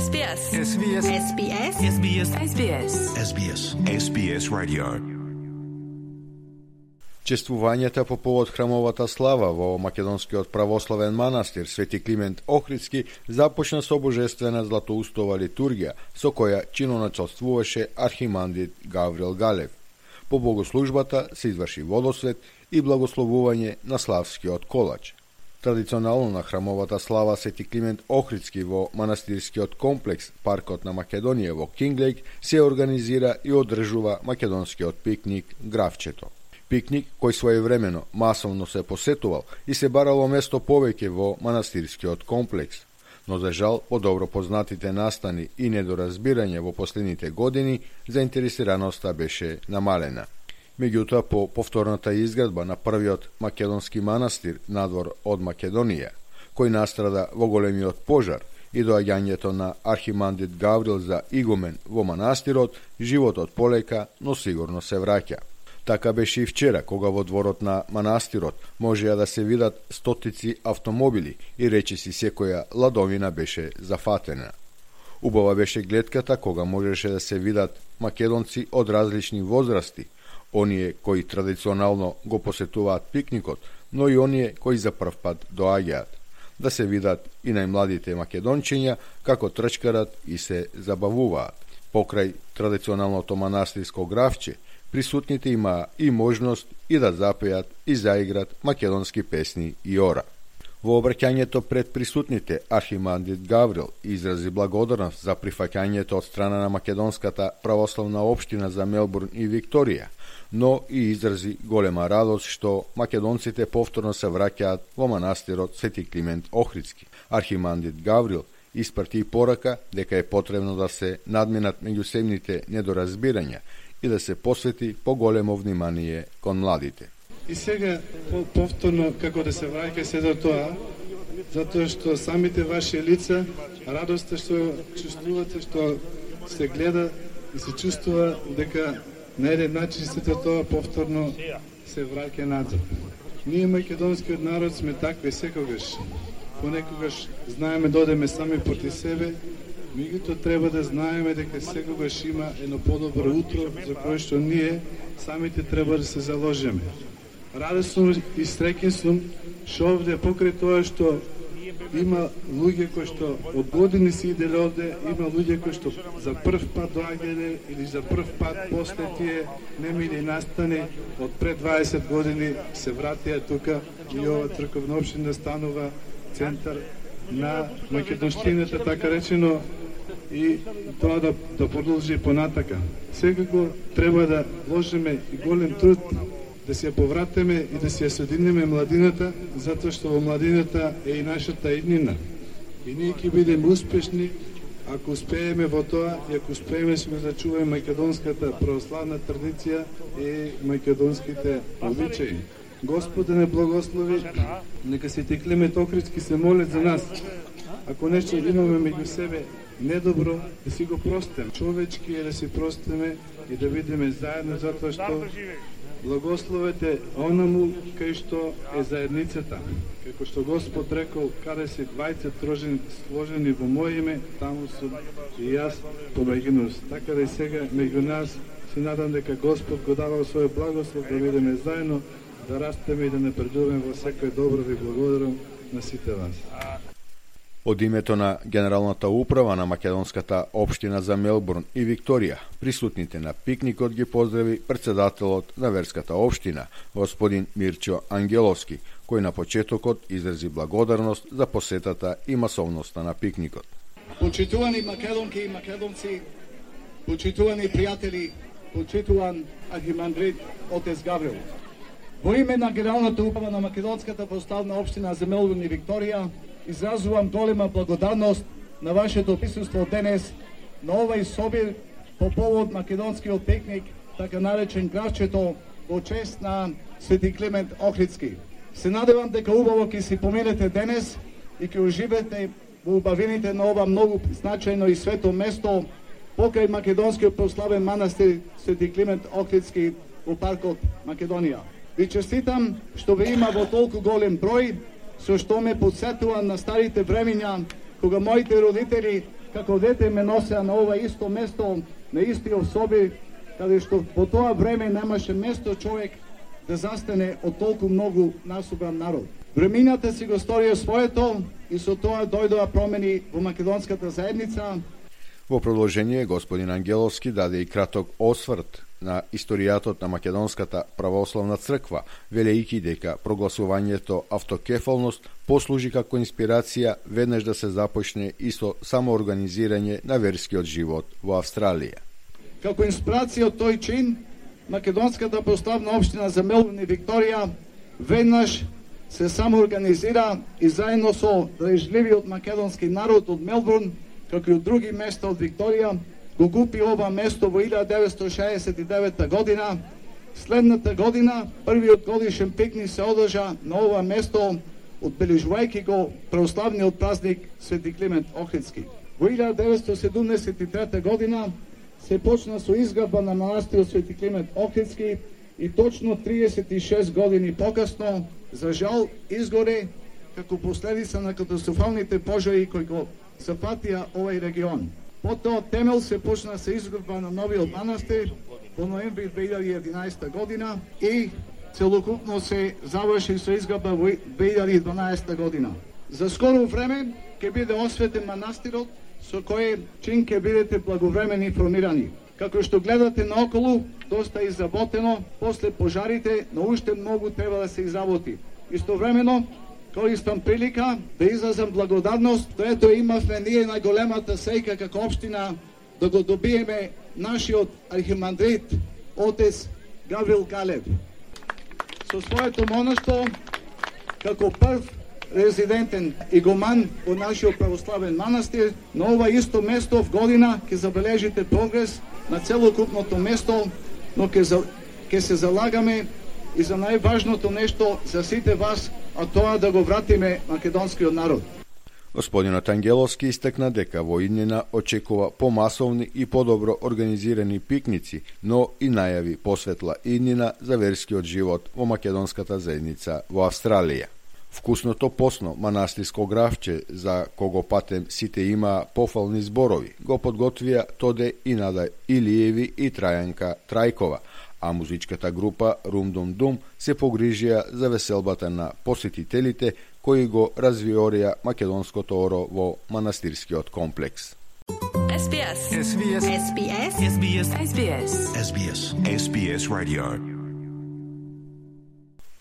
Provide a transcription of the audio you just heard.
SBS. SBS. SBS. SBS. SBS. SBS. SBS Radio. Чествувањата по повод храмовата слава во македонскиот православен манастир Свети Климент Охридски започна со божествена златоустова литургија, со која чиноначалствуваше архимандрит Гаврил Галев. По богослужбата се изврши водосвет и благословување на славскиот колач. Традиционално на храмовата слава Свети Климент Охридски во манастирскиот комплекс Паркот на Македонија во Кинглейк се организира и одржува македонскиот пикник Гравчето. Пикник кој своевремено масовно се посетувал и се барало место повеќе во манастирскиот комплекс, но за жал по добро познатите настани и недоразбирање во последните години заинтересираноста беше намалена. Меѓутоа, по повторната изградба на првиот македонски манастир надвор од Македонија, кој настрада во големиот пожар, и доаѓањето на архимандрит Гаврил за игумен во манастирот, животот полека, но сигурно се враќа. Така беше и вчера, кога во дворот на манастирот можеа да се видат стотици автомобили и речиси секоја ладовина беше зафатена. Убава беше гледката кога можеше да се видат македонци од различни возрасти, оние кои традиционално го посетуваат пикникот, но и оние кои за прв пат доаѓаат. Да се видат и најмладите македончиња како трчкарат и се забавуваат. Покрај традиционалното манастирско гравче, присутните имаа и можност и да запеат и заиграт македонски песни и ора. Во обраќањето пред присутните, архимандрит Гаврил изрази благодарност за прифаќањето од страна на македонската православна општина за Мелбурн и Викторија, но и изрази голема радост што македонците повторно се враќаат во манастирот Свети Климент Охридски. Архимандрит Гаврил испрати и порака дека е потребно да се надминат меѓусебните недоразбирања и да се посвети поголемо внимание кон младите. И сега повторно како да се враќа се до тоа, затоа што самите ваши лица, радоста што чувствувате, што се гледа и се чувствува дека на еден начин сето тоа повторно се враќа назад. Ние македонскиот народ сме такви секогаш. Понекогаш знаеме да одеме сами проти себе, меѓутоа треба да знаеме дека секогаш има едно подобро утро за кое што ние самите треба да се заложиме. Радосен и среќен сум што овде покрај тоа што има луѓе кои што од години си иделе овде, има луѓе кои што за прв пат доаѓале или за прв пат после тие немили настани од пред 20 години се вратија тука и ова црковна општина станува центар на македонштината, така речено, и тоа да продолжи понатака. Секако треба да вложиме и голем труд да се повратиме и да се соединиме младината, затоа што во младината е и нашата иднина. И ние ќе бидеме успешни ако успееме во тоа и ако успееме да зачуваме македонската православна традиција и македонските обичаи. Господ да не благослови, нека Свети Климент Охридски се моли за нас. Ако нешто имаме меѓу себе недобро, да си го простиме. Човечки е да си простиме и да бидеме заедно, затоа што благословете онаму кај што е заедницата. Како што Господ рекол, каде се двајца сложени во моје име, таму сум и јас помеѓу. Така да и сега меѓу нас се надам дека Господ го дава свој благослов да бидеме заедно, да растеме и да напредуваме во секој добро. Ви благодарам на сите вас. Од името на Генералната управа на македонската општина за Мелбурн и Викторија, присутните на пикникот ги поздрави председателот на верската општина, господин Мирчо Ангеловски, кој на почетокот изрази благодарност за посетата и масовноста на пикникот. Почитувани македонки и македонци, почитувани пријатели, почитуван архимандрит отец Гаврил. Во име на Генералната управа на македонската православна општина за Мелбурн и Викторија, изразувам голема благодарност на вашето присуство денес на овај собир по повод македонскиот пикник, така наречен Гравчето, во чест на Свети Климент Охридски. Се надевам дека убаво ќе си поминете денес и ќе уживете во убавините на ова многу значајно и свето место покрај македонскиот православен манастир Свети Климент Охридски во паркот Македонија. Ви честитам што ве има во толку голем број, со што ме подсетува на старите времиња, кога моите родители како дете ме носеа на ова исто место, на истиот соби, каде што по тоа време немаше место човек да застане од толку многу насобран народ. Времината си го сторија своето и со тоа дојдоа промени во македонската заедница. Во продолжение, господин Ангеловски даде и краток осврт на историјатот на Македонската православна црква, велејќи дека прогласувањето автокефалност послужи како инспирација веднаш да се започне и со самоорганизирање на верскиот живот во Австралија. Како инспирација од тој чин, Македонската православна општина за Мелбурн и Викторија веднаш се самоорганизира и заедно со држливиот македонски народ од Мелбурн, како и од други места од Викторија, го купи ова место во 1969 година. Следната година, првиот годишен пикник се одржа на ова место, одбележувајќи го православниот празник Свети Климент Охридски. Во 1973 година се почна со изградба на манастирот Свети Климент Охридски и точно 36 години покасно, за жал, изгоре како последица на катастрофалните пожари кои го зафатија овај регион. Потоа темел се почна се изградба на новиот манастир во ноември 2011 година и целокупно се заврши со изградба во 2012 година. За скоро време ќе биде осветен манастирот, со кој чин ќе бидете благовремено информирани. Како што гледате наоколу, доста изработено, после пожарите, но уште многу треба да се изработи. Истовремено, користам прилика да изразам благодарност, тоето имавме ние најголемата сејка како општина да го добиеме нашиот архимандрит, отец Гаврил Галев. Со своето монаштво, како прв резидентен игуман во нашиот православен манастир, на ова исто место в година ќе забележите прогрес на целокупното место, но ќе се залагаме и за најважното нешто за сите вас, а тоа да го вратиме македонскиот народ. Господинот Ангеловски истакна дека во иднина очекува помасовни и подобро организирани пикници, но и најави посветла иднина за верскиот живот во македонската заедница во Австралија. Вкусното посно манастирско гравче, за кого патем сите имаа пофални зборови, го подготвија Тоде и Нада Илиеви и Трајанка Трајкова, а музичката група Рум Дум Дум се погрижија за веселбата на посетителите кои го развиорија македонското оро во манастирскиот комплекс. SBS. SBS. SBS. SBS. SBS. SBS. SBS Radio.